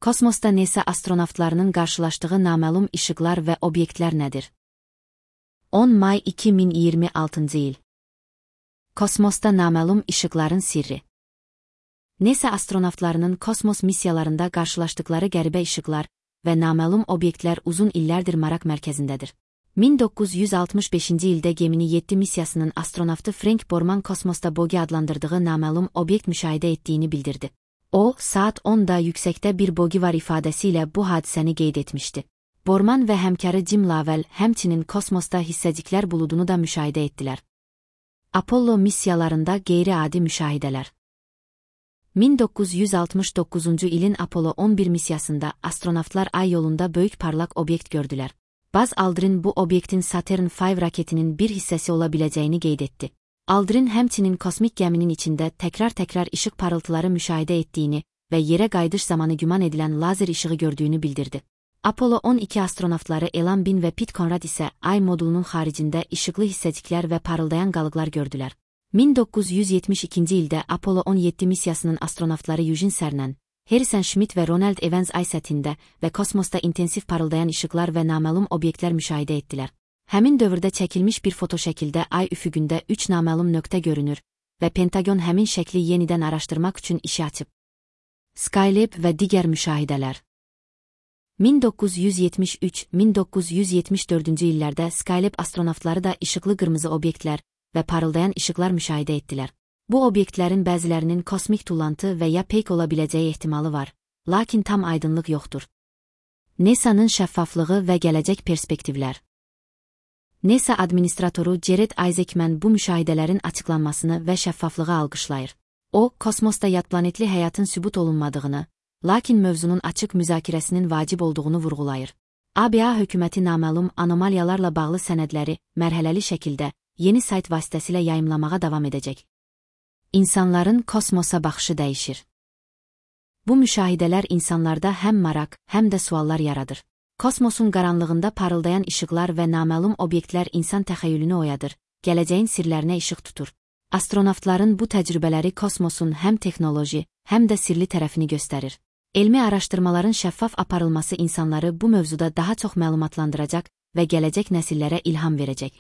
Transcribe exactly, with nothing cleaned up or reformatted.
Kosmosda NASA astronavtlarının qarşılaşdığı naməlum işıqlar və obyektlər nədir? on may iki min iyirmi altıncı il. Kosmosda naməlum işıqların sirri. NASA astronavtlarının kosmos missiyalarında qarşılaşdıqları qəribə işıqlar və naməlum obyektlər uzun illərdir maraq mərkəzindədir. min doqquz yüz altmış beşinci ildə Gemini yeddi missiyasının astronavtı Frank Borman kosmosda Bogi adlandırdığı naməlum obyekt müşahidə etdiyini bildirdi. O, saat onda yüksəkdə bir Bogi var ifadəsi ilə bu hadisəni qeyd etmişdi. Borman və həmkarı Jim Lovell həmçinin kosmosda hissəciklər buludunu da müşahidə etdilər. Apollo missiyalarında qeyri-adi müşahidələr. min doqquz yüz altmış doqquzuncu ilin Apollo on bir missiyasında astronavtlar ay yolunda böyük parlaq obyekt gördülər. Buzz Aldrin bu obyektin Saturn beş raketinin bir hissəsi ola biləcəyini qeyd etdi. Aldrin həmçinin kosmik gəminin içində təkrar-təkrar işıq parıltıları müşahidə etdiyini və yerə qayıdış zamanı güman edilən lazer işığı gördüyünü bildirdi. Apollo on iki astronavtları Elan Bin və Pete Conrad isə ay modulunun xaricində işıqlı hissəciklər və parıldayan qalıqlar gördülər. min doqquz yüz yetmiş ikinci ildə Apollo on yeddi missiyasının astronavtları Eugene Cernan, Harrison Schmitt və Ronald Evans ay səthində və kosmosda intensiv parıldayan işıqlar və naməlum obyektlər müşahidə etdilər. Həmin dövrdə çəkilmiş bir fotoşəkildə ay üfüqündə üç naməlum nöqtə görünür və Pentagon həmin şəkli yenidən araşdırmaq üçün işi açıb. Skylab və digər müşahidələr. min doqquz yüz yetmiş üç - min doqquz yüz yetmiş dördüncü illərdə Skylab astronavtları da işıqlı qırmızı obyektlər və parıldayan işıqlar müşahidə etdilər. Bu obyektlərin bəzilərinin kosmik tullantı və ya peyk ola biləcəyi ehtimalı var, lakin tam aydınlıq yoxdur. NASA'nın şəffaflığı və gələcək perspektivlər. NASA administratoru Jared Isaacman bu müşahidələrin açıqlanmasını və şəffaflığı alqışlayır. O, kosmosda yadplanetli həyatın sübut olunmadığını, lakin mövzunun açıq müzakirəsinin vacib olduğunu vurğulayır. A B A hökuməti naməlum anomaliyalarla bağlı sənədləri mərhələli şəkildə yeni sayt vasitəsilə yayımlamağa davam edəcək. İnsanların kosmosa baxışı dəyişir. Bu müşahidələr insanlarda həm maraq, həm də suallar yaradır. Kosmosun qaranlığında parıldayan işıqlar və naməlum obyektlər insan təxəyyülünü oyadır, gələcəyin sirlərinə işıq tutur. Astronavtların bu təcrübələri kosmosun həm texnoloji, həm də sirli tərəfini göstərir. Elmi araşdırmaların şəffaf aparılması insanları bu mövzuda daha çox məlumatlandıracaq və gələcək nəsillərə ilham verəcək.